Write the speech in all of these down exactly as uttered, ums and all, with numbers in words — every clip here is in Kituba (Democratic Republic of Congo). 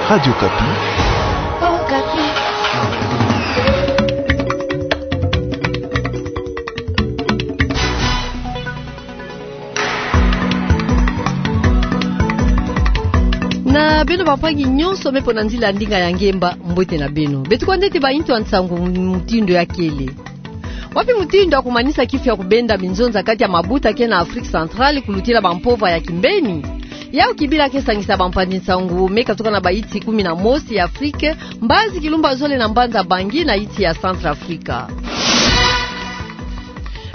Radio Kapi. Na beno bampangi nyonso me mpo na nzila ya ndinga ya ngemba, mbote na beno. Beto kwandi ete baintu ya nsangu mutindu ya kele. Wapi mutindu ya kumanisa kifu ya kubenda minzonza kati ya mabuta ke na Afrique Centrale kulutila bampova ya kimbeni? Yau kibila ke sangisa bampanzi nsangu me katuka na bainsi kumi na mosi ya Afrique, mbazi kilumbu ya zole na mbanza Bangui na insi ya Centrafrique.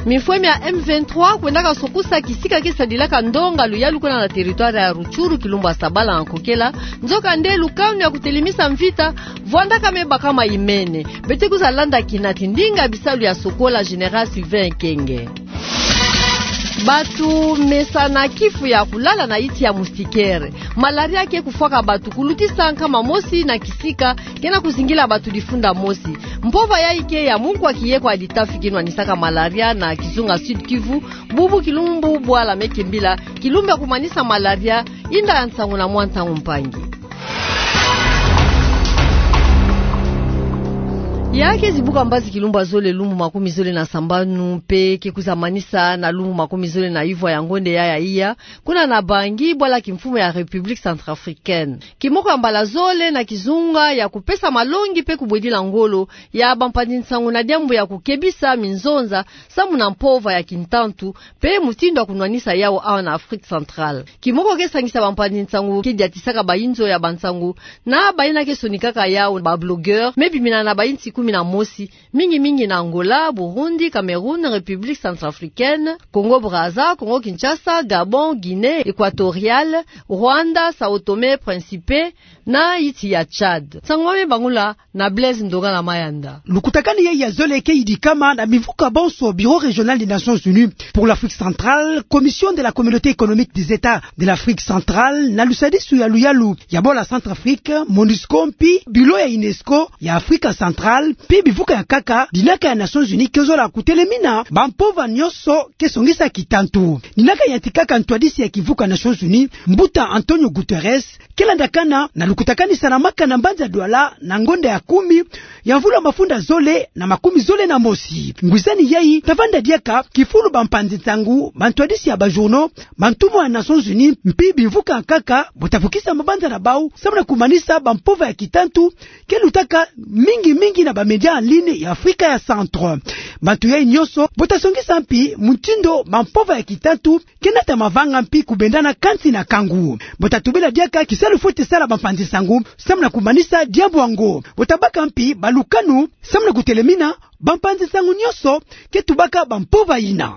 Mifwemi ya M vingt-trois kwendaka sokusa kisika ke sadilaka ndonga luyalu kuna na territoire ya Rutshuru, kilumbu ya Sabala na Nkokela, nzoka nde lukanu ya kutelemisa mvita vwandaka me bakama imene. Beto kwiza landa kinati ndinga bisalu ya sokola Général Sylvain Ekenge. Bato mesana kifu ya kulala na insi ya moustiquaire. Malaria ke kufwaka bato kulutisa nkama mosi na kisika ke na kuzingila bato difunda mosi. Mpova yayi ke ya mukwa kiye kwa ditafi kinwanisaka malaria na kizunga Sud-Kivu, bubu kilumbu bwala me kimbila, kilumbu ya kumanisa malaria. Inda ya nsangu na mwa ntangu mpangi. Ya ke zibuka mbazi kilumbu ya zole lumbu makumi zole na sambanu, mpe ke kwiza manisa na lumbu makumi zole na ivwa ya ngonde ya ya iya, kuna na Bangui, bwala kimfumu ya République Centrafricaine. Kimoko ya mbala zole na kizunga ya kupesa malongi mpe kubwedila ngolo ya bampanzi nsangu na diambu ya kukebisa minzonza samu na mpova ya kintantu, mpe mutindu ya kunwanisa yau awa na Afrique Centrale. Kimoko ke sangisa bampanzi nsangu ke diatisaka bainzo ya bansangu na bayina ke sonikaka yau, ba blogueurs, me bimina na bainsi kumi na mosi, mingi mingi na Angola, Burundi, Cameroun, République Centrafricaine, Congo Brazza, Congo Kinshasa, Gabon, Guinée Équatoriale, Rwanda, Sao Tome Principe, na insi ya Tchad. Nsangu me bangula na Blaise Ndongala Mayanda. Lukutakanu yayi ya zole ke yidikama na bimvuka bonso: Bureau régional des Nations Unies pour l'Afrique centrale, Commission de la Communauté économique des États de l'Afrique centrale, na lusadisu ya luyalu ya bwala Centrafrique, MONUSCO, mpi Bureau ya UNESCO ya Afrique centrale, mpi bimvuka ya nkaka dinaka ya Nations Unies ke zola kutelemina bampova nyonso ke songisa kitantu. Dinaka yantikaka ntwadisi ya kimvuka Nations Unies, mbuta António Guterres, ke landakana na lukutakanu salamaka na mbanza Douala na ngonda ya kumi ya mvula mafunda zole na makumi zole na mosi. Ngwizani yayi ta vanda diaka kifulu bampanzi nsangu, bantwadisi ya ba journaux, bantumwa ya Nations Unies, mpi bimvuka ya nkaka, bo ta vukisa mabanza na bau samu na kumanisa bampova ya kitantu ke lutaka mingi mingi na ba médias en ligne ya Afrika ya Centre. Bantu yayi nyonso bo ta songisa mpi mutindu bampova ya kitantu ke nata mavanga mpi kubendana kansi na kangu. Bo ta tubila diaka kisalu fweti sala bampanzi nsangu samu na kumanisa diambu yango. Bo ta baka mpi balukanu samu na kutelemina bampanzi nsangu nyonso ke tubaka bampova yina.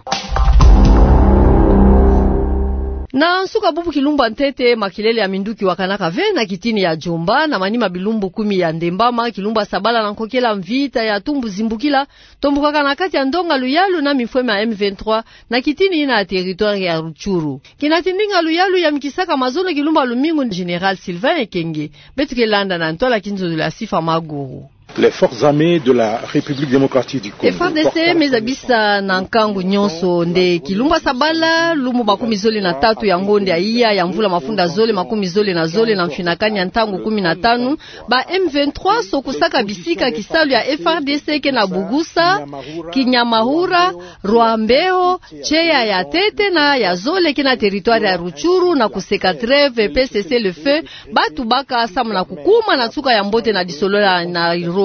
Na nsuka bubu kilumbu ya ntete, makelele ya minduki wakanaka ve na kitini ya Djomba, na manima bilumbu kumi ya ndembama, kilumbu ya Sabala na Nkokela, mvita ya tumbu zimbukila tombukaka na kati ya ndonga luyalu na mifwemi ya M vingt-trois na kitini yina ya territoire ya Rutshuru. Kinati ndinga luyalu yamikisaka mazono kilumbu ya lumingu Général Sylvain Ekenge. Beto ke landa na ntwala kinzololo ya Sifa Maguru. Les forces armées de la République démocratique du Congo. F R D C me zabisa na nkangu nyonso nde kilumbu ya Sabala, lumbu makumi zole na tatu ya ngonda ya iya ya mvula mafunda zole makumi zole na zole, na mfinakani ya ntangu kumi na tanu, ba M vingt-trois sokusaka bisika kisalu ya F R D C ke na Bugusa, Kinyamahura, Rwambeo, Tcheya ya ntete na ya zole ke na territoire ya Rutshuru, na kuseka trêve mpe cessez-le-feu ba tubaka samu na kukuma na nsuka ya mbote na lisolo ya Nairobi.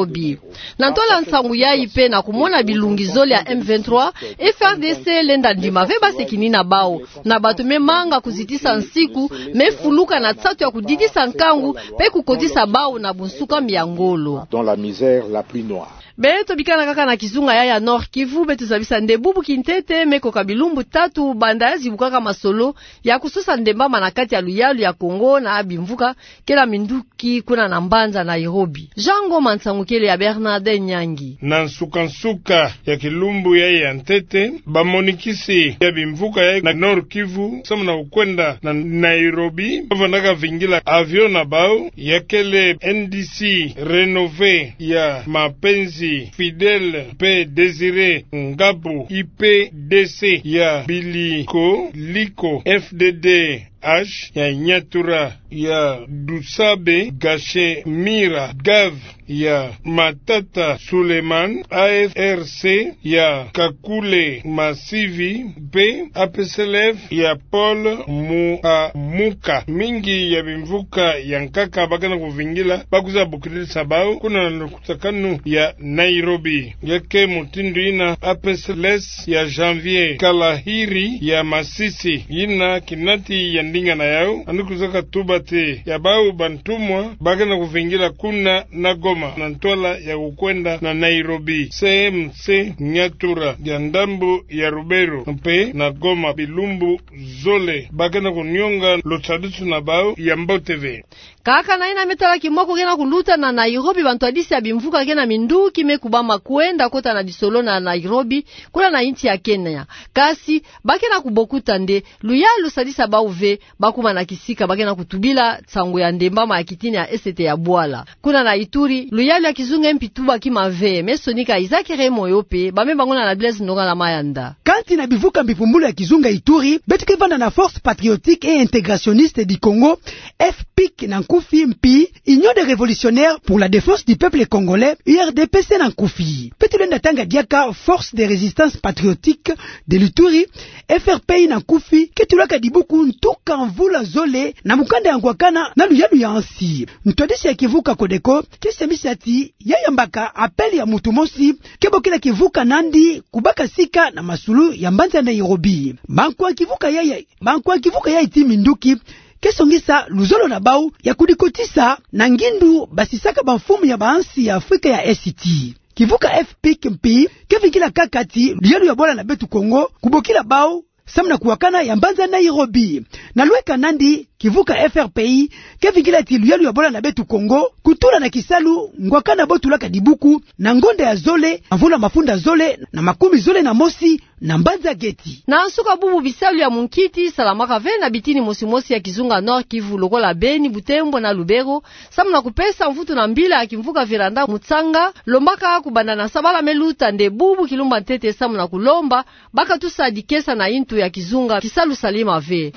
Na ntwala nsangu yayi mpe na kumona bilungi zole ya M vingt-trois, F R D C lenda ndima ve base kinina bau, na bato me manga kuzitisa nsiku, me fuluka na nsatu ya kudidisa nkangu mpe kukotisa bau na bunsuka mbi ya ngolo. Dans la misère la plus noire. Beto bikana kaka na kizunga ya, ya Nord-Kivu, beto zabisa nde bubu kintete me koka bilumbu tatu banda ya zibukaka masolo ya kusosa ndembama na kati ya luyalu ya Congo na bimvuka ke na minduki kuna na mbanza Nairobi. Jean Ngoma, nsangu kele ya Bernardin Nyangi. Na nsukansuka ya kilumbu yayi ya ntete, bamonikisi ya bimvuka yayi na Nord-Kivu samu na kukwenda na Nairobi, ba vandaka vingila avion na bau, ya kele N D C Renove ya Mapenzi Fidèle mpe Désiré Ngabu, I P D C ya Biliko Liko, F D D H ya Nyatura, ya Dusabe Gashemira, Gav ya Matata Suleiman, A F R C ya Kakule Masivi, mpe A P C L F ya Paul Muamuka. Mingi ya bimvuka ya nkaka ba ke na kuvingila, ba kwiza bokilisa bau kuna na lukutakanu ya Nairobi. Ya ke mutindu yina, A P C L S ya Janvier Kalahiri ya Masisi, yina kinati ya ndinga na yau, yandi kwiza ka tuba ti ya bau bantumwa ba ke na kuvingila kuna na Goma na ntwala ya kukwenda na Nairobi. C M C Nyatura ya ndambu ya Lubero mpe na Goma bilumbu zole ba ke na kunionga lusadisu na bau ya mbote ve. Kaka na yina, me tala kimoko ke na kuluta na Nairobi, bantwadisi ya bimvuka ke na minduki me kubama kwenda kota na lisolo na Nairobi, kuna na insi ya Kenya. Kasi ba ke na kubokuta nde luyalu sadisa bau ve, ba kuma na kisika ba ke na kutubila nsangu ya ndembama ya kitini ya esete ya bwala. Kuna na Ituri, luyalu ya kizunga mpi tubaki mave. Me sonika Isaac Remoyo mpe ba me banguna na Blaise Ndongala Mayanda. Kati na bivuka mbi pumbulu ya kizunga Ituri, beto ke vanda na Force Patriotique et Intégrationniste du Congo, F pic na nkufi, mpi Union des Révolutionnaires pour la Défense du Peuple Congolais, U R D P C na nkufi. Mpe tulenda tanga diaka Force de Résistance Patriotique de l'Ituri, F R P I na nkufi, ke tulaka dibuku ntuka mvula zole na mukanda ya ngwakana na luyalu ya nsi. Ntwadisi ya kivuka Codeco ke semisa ti ya yambaka appel ya mutu mosi ke bokila kivuka na yandi kubaka sika na masulu ya mbanza Nairobi. Bankwa kivuka ya, ya, bankwa kivuka ya iti minduki ke songisa luzolo na bau ya kudikotisa na ngindu basisaka bamfumu ya bansi ya Afrika ya Esiti. Kivuka F pic mpi ke vingila kaka ti luyalu ya bwala na beto Kongo kubokila bau samu na kuwakana ya mbanza Nairobi. Na lweka na yandi, kivuka F R P I ke vingila ti luyalu ya bwala na beto Kongo kutula na kisalu ngwakana bo tulaka dibuku na ngonda ya zole, mvula mafunda zole na makumi zole na mosi na mbanza geti. Na nsuka, bubu bisalu ya munkiti salamaka ve na bitini mosi mosi ya kizunga Nord-Kivu lokola Beni, Butembo na Lubero, samu na kupesa mvutu na mbila ya kimvuka véranda Mutsanga, lombaka kubanda na sabala me luta nde bubu kilumba ntete samu na kulomba ba katusa dikesa na yintu ya kizunga kisalu salema ve.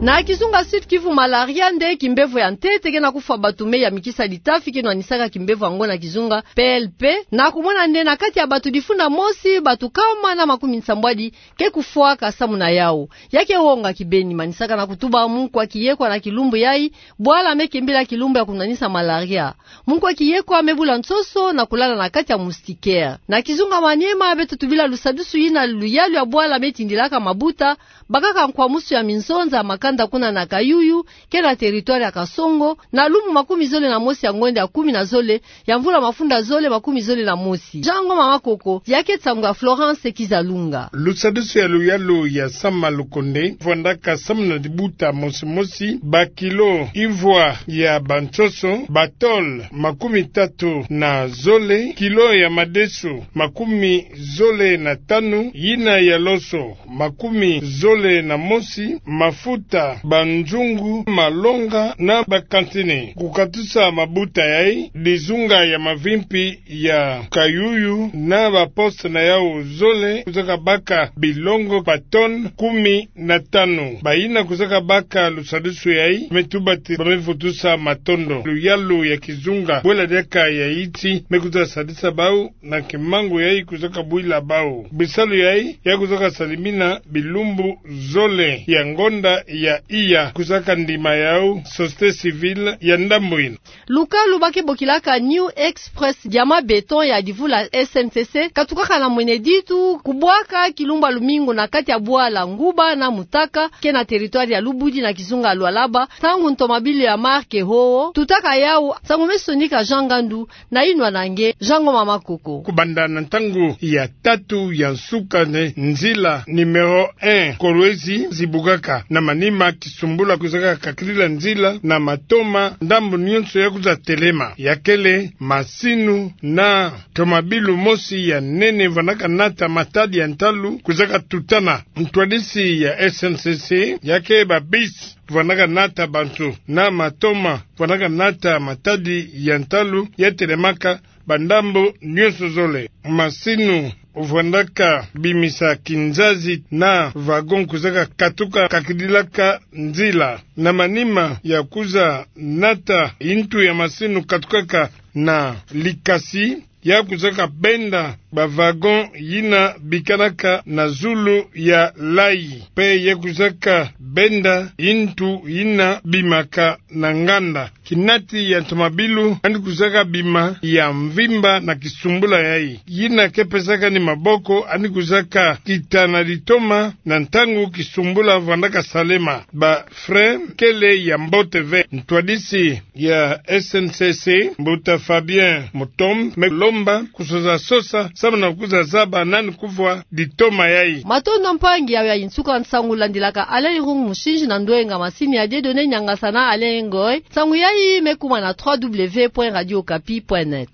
Na kizunga Sud-Kivu, malaria nde kimbevo ya ntete ke na kufwa bato me ya mikisa litafi ke nwanisaka kimbevo yango na kizunga P L P, na kumona nde na kati ya bato difunda mosi, bato kama na makumi nsambwadi ke kufwaka samu na yau. Ya ke wonga kibeni, manisaka na kutuba munkwa kiyekwa na kilumbu yai, bwala me kembila kilumbu ya kunwanisa malaria. Munkwa kiyekwa me bula nsoso na kulala na kati ya moustiquaire. Na kizunga Maniema, beto tubila lusadusu yina luyalu ya bwala me tindilaka mabuta, bakaka nkwamusu ya minzonza makanda kuna na Kayuyu, ke na territoire ya Kasongo, na lumbu makumi zole na mosi ya ngonda ya kumi na zole ya mvula mafunda zole makumi zole na mosi. Jean Ngoma Makoko, ya ke nsangu ya Florence Kizalunga. Lusadusu ya luyalu ya Sama Lukonde, vwandaka samu na dibuta mosi mosi, bakilo ivwa ya bansoso, batole makumi tatu na zole, kilo ya madesu makumi zole na tanu, yina ya loso makumi zole na mosi, mafuta, banzungu, malonga na bakantine. Kukatusa mabuta yai, dizunga ya mavimpi ya Kayuyu na baposte na yau zole kwizaka baka bilongo batone kumi na tanu. Bayina kwizaka baka lusadusu yai me tuba ti ba me vutusa matondo. Luyalu ya kizunga bwela diaka ya iti me kwiza sadisa bau na kimangu yai kwizaka bwila bau. Bisalu yai ya kwizaka salimina bilumbu zole ya ngonda ya iya, kwizaka ndima yau société civile ya ndambu yina. Lukalu ba ke bokilaka New Express Diamant Béton ya divu la S N C C katukaka na mwene ditu kubwaka kilumbu ya lumingu na kati ya bwala Nguba na Mutaka, ke na territoire ya Lubudi na kizunga Lualaba, ntangu ntomabilu ya marque Howo tutaka yau. Nsangu me sonika Jean Ngandu, na yinwa na nge Jean Ngoma Makoko. Kubanda na ntangu ya tatu ya nsuka, nde nzila numéro un Kolwezi zibukaka. Na manima, kisumbula kwizaka kakilila nzila na matoma ndambu nyonso ya kwiza telema. Ya kele masinu na tomabilu mosi ya nene vwandaka nata matadi ya ntalu kwizaka tutana. Ntwadisi ya S N C C, ya ke babisi vwandaka nata bantu na matoma vwandaka nata matadi ya ntalu ya telemaka bandambu nyonso zole. Masinu vwandaka bimisa kinzazi na wagon kwizaka katuka kakidilaka nzila. Na manima ya kwiza nata ntu ya masini katukaka na Likasi, ya kwizaka benda ba wagon yina bikanaka na zulu ya layi, mpe ya kwizaka benda ntu yina bimaka na nganda. Kinati ya ntomabilu yandi kwizaka bima ya mvimba na kisumbula yayi, yina ke pesaka ni maboko, yandi kwizaka kita na ditoma na ntangu kisumbula vwandaka salema. Ba frein kele ya mbote ve. Ntwadisi ya S N C C, mbuta Fabien Mutombo, me lomba kusosa sosa samu na kwiza zaba nani kuvwa ditoma yayi. Matondo mpangi, yayi nsuka nsangu landilaka Alain Irung Musinji na ndwenga masini ya Dieudonné Niangasa na Alain Ngoy. Nsangu yayi me kuma na trois W point radio okapi point net.